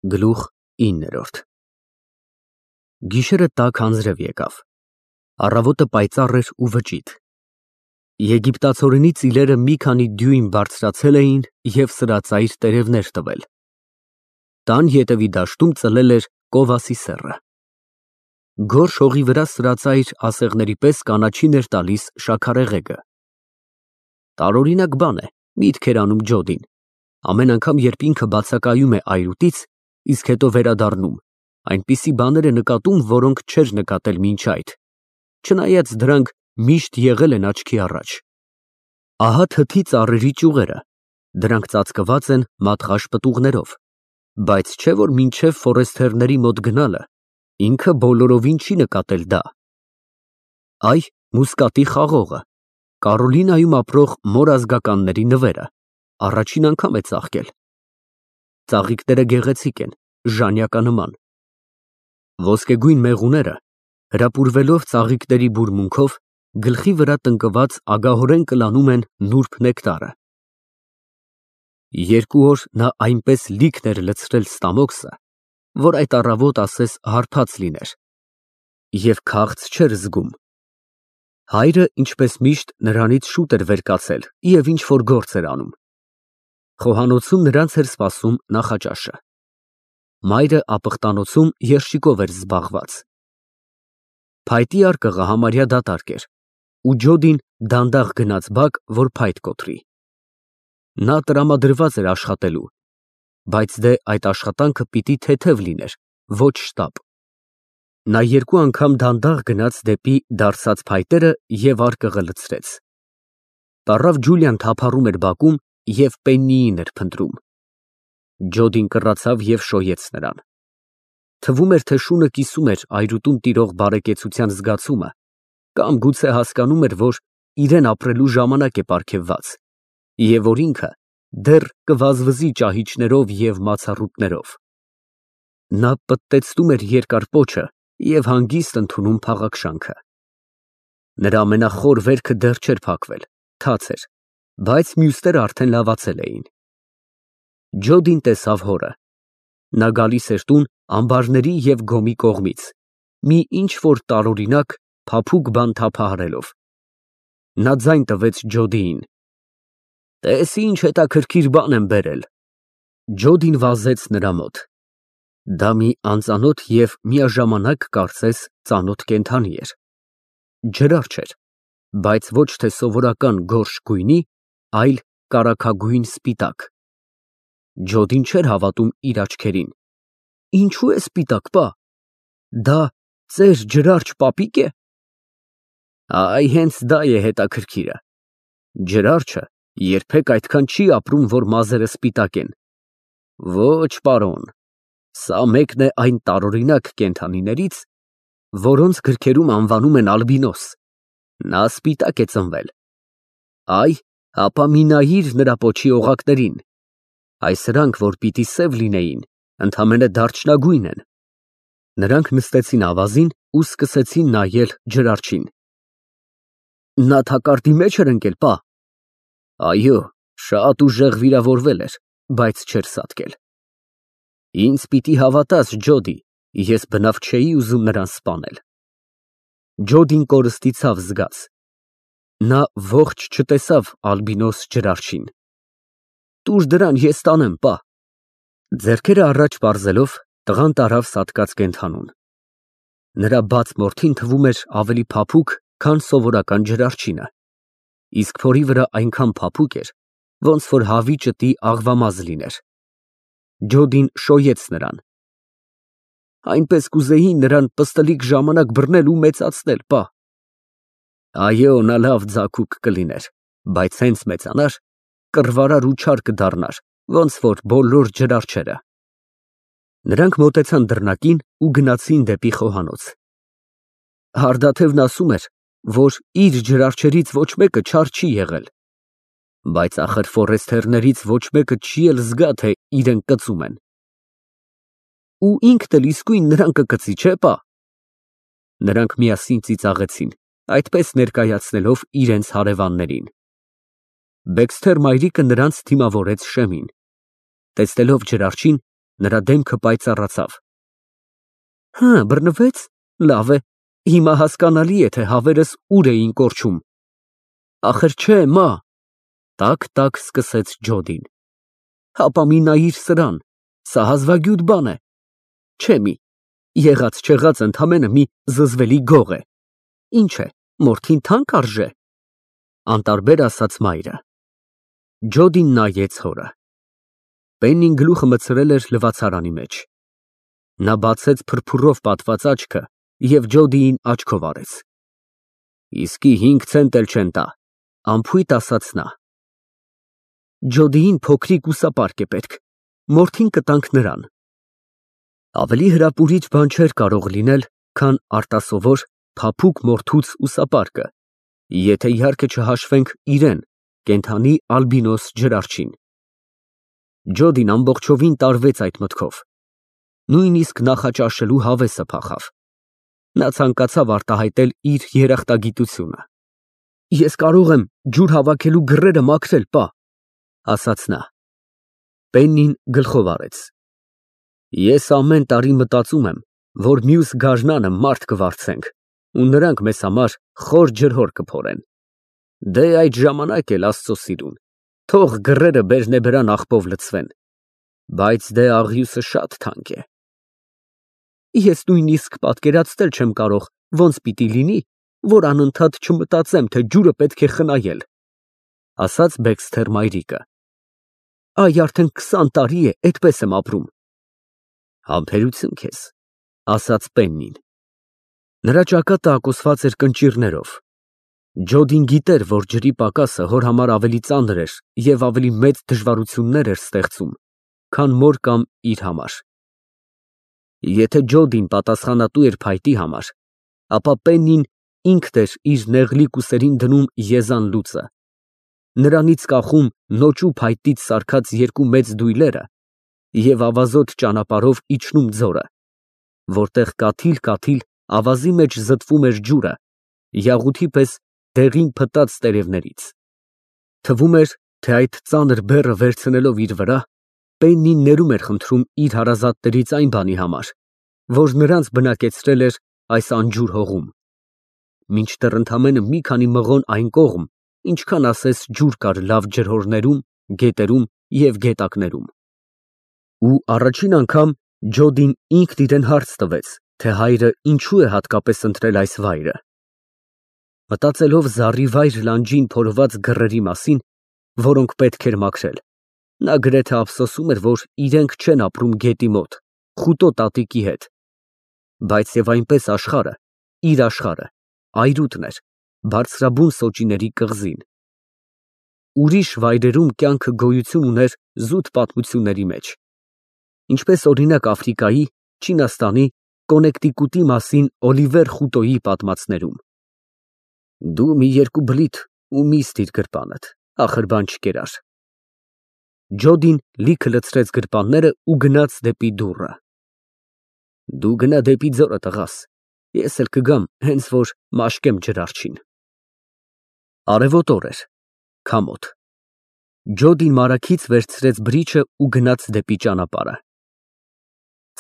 Գլուխ 9 Գիշերը տաք անձրև եկավ, առավոտը պայծառ էր ու վճիտ, Եգիպտացորենի ծիլերը մի քանի դյույմ բարձրացել էին և սրածայր տերևներ տվել, տան ետևի դաշտում ծլել էր կովասի սեռը, գորշ հողի վրա սրածայր ասեղների պես կանաչին էր տալիս շաքարեղեգը, տարօրինակ բան է, միտք էր անում Ջոդին, ամեն անգամ երբ ինքը բացակայում է այրուտից, իսկ հետո վերադառնում, այնպիսի բաներ է նկատում, որոնք չէր նկատել մինչ այդ, չնայած դրանք միշտ եղել են աչքի առաջ, ահա թթի ծառերի ճյուղերը, դրանք ծածկված են մատղաշ պտուղներով, բայց չէ որ մինչև ֆորեստերների մոտ գնալը, ինքը բոլորովին չի նկատել դա, այ մուսկատի խաղողը, Կարոլինայում ապրող մոր ազգականների նվերը, առաջին անգամ է ծաղկել, ծաղիկները գեղեցիկ են, ժանյականման, ոսկեգույն մեղուները, հրապուրվելով ծաղիկների բուրմունքով, գլխի վրա տնկված ագահորեն կլանում են նուրբ նեկտարը, 2 օր նա այնպես լիքն էր լցրել ստամոքսը, որ այդ առավոտ ասես հարբած լիներ, և քաղց չէր զգում, հայրը, ինչպես միշտ, նրանից շուտ էր վեր կացել և ինչ-որ գործ էր անում, խոհանոցում նրանց էր սպասում նախաճաշը, մայրը ապխտանոցում երշիկով էր զբաղված, փայտի արկղը համարյա դատարկ էր, ու Ջոդին դանդաղ գնաց բակ, որ փայտ կոտրի, նա տրամադրված էր աշխատելու, բայց դե այդ աշխատանքը պիտի թեթև լիներ, ոչ շտապ, նա 2 անգամ դանդաղ գնաց դեպի դարսած փայտերը և արկղը լցրեց, տառավ Ջուլիան թափառում էր բակում և պեննիին էր փնտրում, Ջոդին կռացավ և շոյեց նրան, թվում էր, թե շունը կիսում էր այրուտում տիրող բարեկեցության զգացումը, կամ գուցե հասկանում էր, որ իրեն ապրելու ժամանակ է պարգևված, և որ ինքը դեռ կվազվզի ճահիճներով և մացառուտներով, նա պտտեցնում էր երկար պոչը և հանգիստ ընդունում փաղաքշանքը, նրա ամենախոր վերքը դեռ չէր փակվել, թաց էր, բայց մյուսները արդեն լավացել էին, Ջոդին տեսավ հորը, նա գալիս էր տուն ամբարների և գոմի կողմից, մի ինչ-որ տարօրինակ, փափուկ բան թափահարելով, նա ձայն տվեց Ջոդիին, տես ինչ հետաքրքիր բան եմ բերել, Ջոդին վազեց նրա մոտ, դա մի անծանոթ և միաժամանակ կարծես ծանոթ կենդանի էր, ջրարջ էր, բայց ոչ թե սովորական գորշ գույնի, այլ կարագագույն սպիտակ, Ջոդին չէր հավատում իր աչքերին, ինչու է սպիտակ, պա, դա ծեր ջրարջ պապիկ է, այ հենց դա է հետաքրքիրը, ջրարջը երբեք այդքան չի ապրում, որ մազերը սպիտակ են, ոչ պարոն, սա մեկն է այն տարօրինակ կենդանիներից, որոնց գրքերում անվանում են ալբինոս, նա սպիտակ է ծնվել, այ, հապա մի նայիր նրա պոչի օղակներին, այ սրանք, որ պիտի սև լինեին, ընդամենը դարչնագույն են, նրանք նստեցին ավազին ու սկսեցին նայել ջրարջին, նա թակարդի մեջ էր ընկել, պա, այո, շատ ուժեղ վիրավորվել էր, բայց չէր սատկել, ինձ պիտի հավատաս, Ջոդի, ես բնավ չէի ուզում նրան սպանել, Ջոդին կորստի ցավ զգաց, նա ողջ չտեսավ ալբինոս ջրարջին, տուր դրան ես տանեմ, պա, ձեռքերը առաջ պարզելով, տղան տարավ սատկած կենդանուն, նրա բաց մորթին թվում էր ավելի փափուկ, քան սովորական ջրարջինը, իսկ փորի վրա այնքան փափուկ էր, ոնց որ հավի ճտի աղվամազ լիներ, Ջոդին շոյեց նրան, այնպես կուզեի նրան պստլիկ ժամանակ բռնել ու մեծացնել, պա, այո, նա լավ ձագուկ կլիներ, բայց հենց մեծանար, կռվարար ու չար կդառնար, ոնց որ բոլոր ջրարջերը, նրանք մոտեցան դռնակին ու գնացին դեպի խոհանոց, Հարդաթևն ասում էր, որ իր ջրարջերից ոչ մեկը չար չի եղել, բայց ախր ֆորեստերներից ոչ մեկը չի էլ զգա, թե իրեն կծում են, ու ինքն էլ իսկույն նրան կկծի, չէ՞ պա, նրանք միասին ծիծաղեցին, այդպես ներկայացնելով իրենց հարևաններին, Բեքսթեր մայրիկը նրանց դիմավորեց շեմին, տեսնելով ջրարջին, Նրա դեմքը պայծառացավ։ Հա, բռնվեց։ Լավ է, հիմա հասկանալի է, թե հավերս ուր էին կորչում։ Ախր չէ, մա։ Տակ սկսեց Ջոդին։ Հապա մի նայիր սրան, սա հազվագյուտ բան է։ Չէ մի, եղած չեղած ընդամենը մի զզվելի գող է։ Ինչ է, մորթին թանկ արժե։ Անտարբեր ասաց մայրը։ Ջոդին նայեց հորը։ Պեննին գլուխը մտցրել էր լվացարանի մեջ։ Նա բացեց փրփուրով պատված աչքը և Ջոդիին աչքով արեց։ Իսկի 5 ցենտ էլ չեն տա, անփույթ ասաց նա։ Ջոդիին փոքրիկ ուսապարկ է պետք, մորթին կտանք նրան։ Ավելի հրապուրիչ բան չէր կարող լինել, քան արտասովոր, փափուկ մորթուց ուսապարկը, եթե իհարկե չհաշվենք իրեն, կենդանի ալբինոս ջրարջին։ Ջոդին ամբողջովին տարվեց այդ մտքով։ Նույնիսկ նախաճաշելու հավեսը փախավ։ Նա ցանկացավ արտահայտել իր երախտագիտությունը։ Ես կարող եմ ջուր հավաքելու գրերը մաքրել, պա, ասաց նա։ Պեննին գլխով արեց։ Ես ամեն տարի մտածում եմ, որ մյուս գարնանը մարդ կվարձենք, ու նրանք մեզ համար խոր ջրհոր կփորեն։ Դե այդ ժամանակ էլ Աստծո սիրուն, թող գրերը բերնեբրան աղբով լցվեն, բայց դե աղյուսը շատ թանկ է։ Ես նույնիսկ պատկերացնել չեմ կարող, ոնց պիտի լինի, որ անընդհատ չմտածեմ, թե ջուրը պետք է խնայել, ասաց Բեքսթեր մայրիկը։ Այ արդեն 20 տարի է այդպես եմ ապրում։ Համբերություն քեզ, ասաց Պեննին։ Նրա ճակատը ակոսված էր կնճիռներով։ Ջոդին գիտեր, որ ջրի պակասը հոր համար ավելի ծանր էր և ավելի մեծ դժվարություններ էր ստեղծում, քան մոր կամ իր համար։ Եթե Ջոդին պատասխանատու էր փայտի համար, ապա Պեննին ինքն էր իր նեղլիկ ուսերին դնում եզան լուծը, նրանից կախում նոճու փայտից սարքած 2 մեծ դույլերը և ավազոտ ճանապարհով իջնում ձորը, որտեղ կաթիլ ավազի մեջ զտվում էր ջուրը, յաղութի պես դեղին փտած տերևներից։ Թվում էր, թե այդ ծանր բեռը վերցնելով իր վրա, Պեննին ներում էր խնդրում իր հարազատներից այն բանի համար, որ նրանց բնակեցրել էր այս անջուր հողում։ Մինչդեռ ընդամենը մի քանի մղոն այն կողմ, ինչքան ասես ջուր կար լավ ջրհորներում, գետերում և գետակներում։ Ու առաջին անգամ Ջոդին ինքն իրեն հարց տվեց, թե հայրը ինչու է հատկապես ընտրել այս վայրը։ Մտածելով զառիվայր լանջին փորված գրերի մասին, որոնք պետք էր մաքրել, նա գրեթե ափսոսում էր, որ իրենք չեն ապրում գետի մոտ, խուտո տատիկի հետ, բայց և այնպես աշխարհը, իր աշխարհը, այրուտն էր, բարձրաբուն սոճիների կղզին։ Ուրիշ վայրերում կյանքը գոյություն ուներ զուտ պատմությունների մեջ, ինչպես օրինակ Աֆրիկայի, Չինաստանի, Կոնեկտիկուտի մասին Օլիվեր Խուտոյի պատմածներում։ Դու մի 2 բլիթ ու մի ստիր գրպանդ, ախր բան չկերար։ Ջոդին լիքը լցրեց գրպանները ու գնաց դեպի դուռը։ Դու գնա դեպի ձորը, տղաս, ես էլ կգամ, հենց որ մաշկեմ ջրարջին։ Արևոտ օր էր, քամոտ։ Ջոդին մարագից վերցրեց բրիչը ու գնաց դեպի ճանապարհը։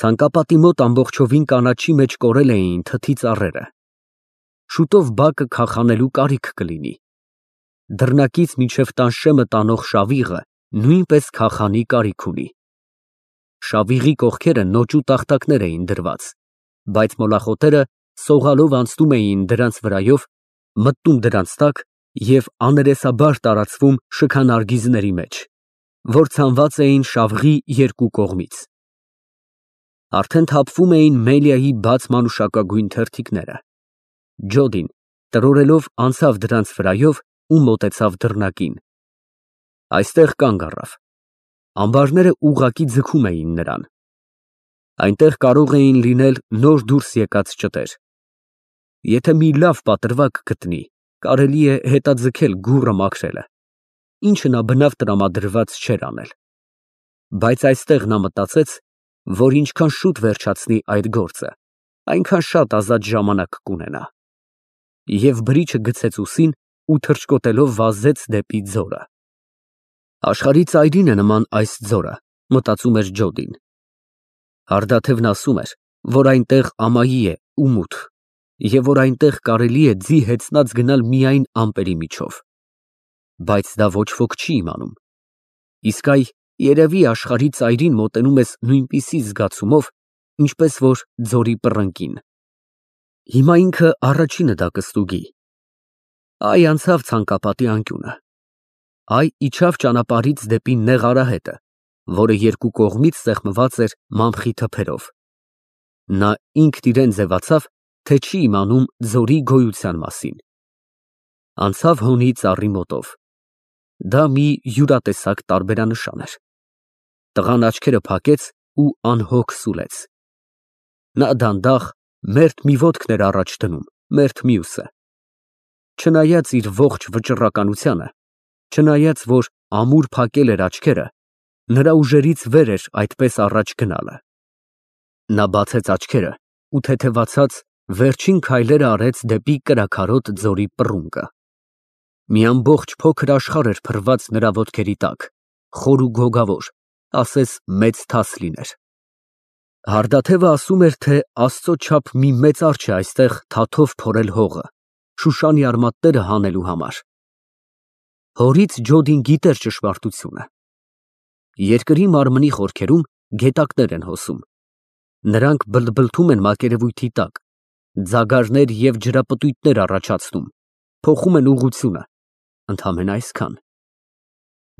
Ցանկապատի մոտ ամբողջովին կանաչի մեջ կորել էին թթի ծառերը։ Շուտով բակը քախանելու կարիք կլինի։ Դռնակից մինչև տանշեմը տանող շավիղը նույնպես քախանի կարիք ունի։ Շավիղի կողքերը նոճու տախտակներ էին դրված, բայց մոլախոտերը սողալով անցնում էին դրանց վրայով, մտնում դրանց տակ և աներեսաբար տարածվում շքանարգիզների մեջ, որ ցանված էին շավղի 2 կողմից։ Արդեն թափվում էին Մելիայի բաց մանուշակագույն թերթիկները։ Ջոդին տրորելով անցավ դրանց վրայով ու մոտեցավ դռնակին։ Այստեղ կանգ առավ։ Ամբարները ուղղակի ձգում էին նրան։ Այնտեղ կարող էին լինել նոր դուրս եկած ճտեր։ Եթե մի լավ պատրվակ գտնի, կարելի է հետաձգել գուռը մաքրելը, ինչը նա բնավ տրամադրված չէր անել։ Բայց այստեղ նա մտածեց, որ ինչքան շուտ վերջացնի այդ գործը, այնքան շատ ազատ ժամանակ կունենա։ Եվ բրիչը գցեց ուսին ու թռչկոտելով վազեց դեպի ձորը։ Աշխարհի ծայրին է նման այս ձորը, մտածում էր Ջոդին։ Հարդաթևն ասում էր, որ այնտեղ ամայի է ու մութ, և որ այնտեղ կարելի է ձի հեծնած գնալ միայն ամպերի միջով։ Բայց դա ոչ ոք չի իմանում։ Իսկ այ երևի աշխարհի ծայրին մոտենում ես նույնպիսի զգացումով, ինչպես որ ձորի պռնկին։ Հիմա ինքը առաջինը դա կստուգի։ Այ անցավ ցանկապատի անկյունը։ Այ իջավ ճանապարհից դեպի նեղ արահետը, որը երկու կողմից սեղմված էր մամխի թփերով։ Նա ինքն իրեն ձևացավ, թե չի իմանում ձորի գոյության մասին։ Անցավ հոնի ծառի մոտով։ Դա մի յուրատեսակ տարբերանշան էր։ Տղան աչքերը փակեց ու անհոգ սուլեց։ Նա դանդաղ, մերթ մի ոտքն էր առաջ դնում, մերթ մյուսը։ Չնայած իր ողջ վճռականությանը, չնայած որ ամուր փակել էր աչքերը, նրա ուժերից վեր էր այդպես առաջ գնալը։ Նա բացեց աչքերը ու թեթևացած վերջին քայլերը արեց դեպի կրաքարոտ ձորի պռունգը։ Մի ամբողջ փոքր աշխարհ էր փռված նրա ոտքերի տակ, խոր ու գոգավոր, ասես մեծ թաս լիներ։ Հարդաթևը ասում էր, թե Աստծո չափ մի մեծ արջ է այստեղ թաթով փորել հողը, Շուշանի արմատները հանելու համար։ Հորից Ջոդին գիտեր ճշմարտությունը։ Երկրի մարմնի խորքերում գետակներ են հոսում։ Նրանք բլթբլթում են մակերևույթի տակ, ձագարներ և ջրապտույտներ առաջացնում, փոխում են ուղղությունը, ընդամենը այսքան։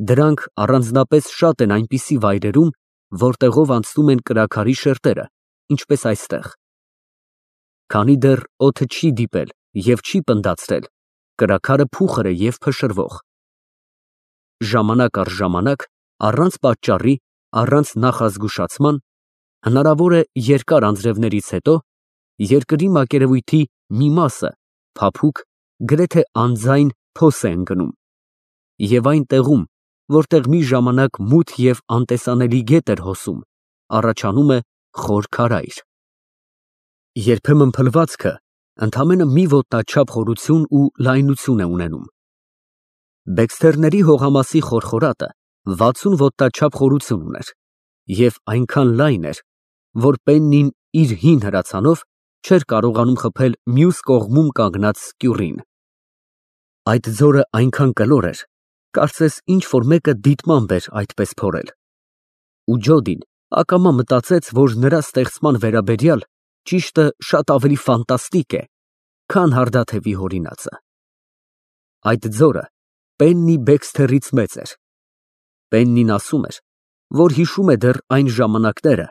Դրանք առանձնապես շատ են այնպիսի վայրերում, որտեղով անցնում են կրաքարի շերտերը, ինչպես այստեղ։ Քանի դեռ օդը չի դիպել և չի պնդացրել, կրաքարը փուխր է և փշրվող։ Ժամանակ առ ժամանակ, առանց պատճառի, առանց նախազգուշացման, հնարավոր է երկար անձրևներից հետո, երկրի մակերևույթի մի մասը, փափուկ, գրեթե անձայն փոս է ընկնում, և այն տեղում, որտեղ մի ժամանակ մութ և անտեսանելի գետ էր հոսում, առաջանում է խոր քարայր։ Երբեմն փլվածքը ընդամենը մի ոտնաչափ խորություն ու լայնություն է ունենում։ Բեքսթերների հողամասի խորխորատը 60 ոտնաչափ խորություն ուներ և այնքան լայն էր, որ Պեննին իր հին հրացանով չէր կարողանում խփել մյուս կողմում կանգնած սկյուռին։ Այդ ձորը այնքան կլոր էր, կարծես ինչ֊որ մեկը դիտմամբ էր այդպես փորել։ Ու Ջոդին ակամա մտածեց, որ նրա ստեղծման վերաբերյալ ճիշտը շատ ավելի ֆանտաստիկ է, քան հարդաթևի հորինածը։ Այդ ձորը Պեննի Բեքսթերից մեծ էր։ Պեննին ասում էր, որ հիշում է դեռ այն ժամանակները,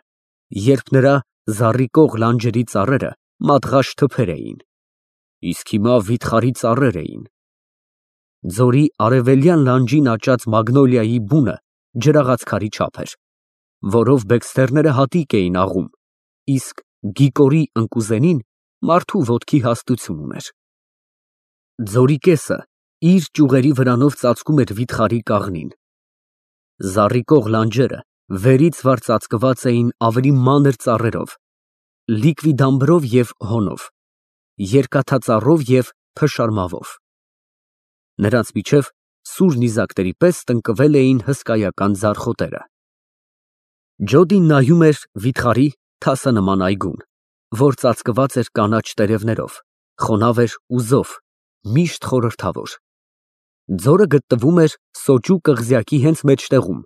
երբ նրա զառիկող լանջերի ծառերը մատղաշ թփեր էին, իսկ հիմա վիթխարի ծառեր էին։ Ձորի արևելյան լանջին աճած մագնոլիայի բունը ջրաղաց քարի չափ էր, որով բեքսթերները հատիկ էին աղում, իսկ գիկորի ընկուզենին մարդու ոտքի հաստություն ուներ։ Ձորի կեսը իր ճյուղերի վրանով ծածկում էր վիթխարի կաղնին։ Զառիկող լանջերը վերից վար ծածկված էին ավելի մանր ծառերով, լիկվիդամբրով և հոնով, երկաթածառով և փշարմավով։ Նրանց միջև սուր նիզակների պես տնկվել էին հսկայական ձարխոտերը։ Ջոդին նայում էր վիթխարի թասանման այգուն, որ ծածկված էր կանաչ տերևներով, խոնավ էր ու զով, միշտ խորհրդավոր։ Ձորը գտնվում էր Սոճու կղզյակի հենց մեջտեղում,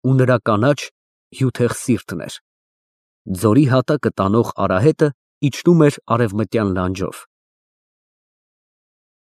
ու նրա կանաչ, հյութեղ սիրտն էր։ Ձորի հատակը տանող արահետը իջնում էր արևմտյան լանջով։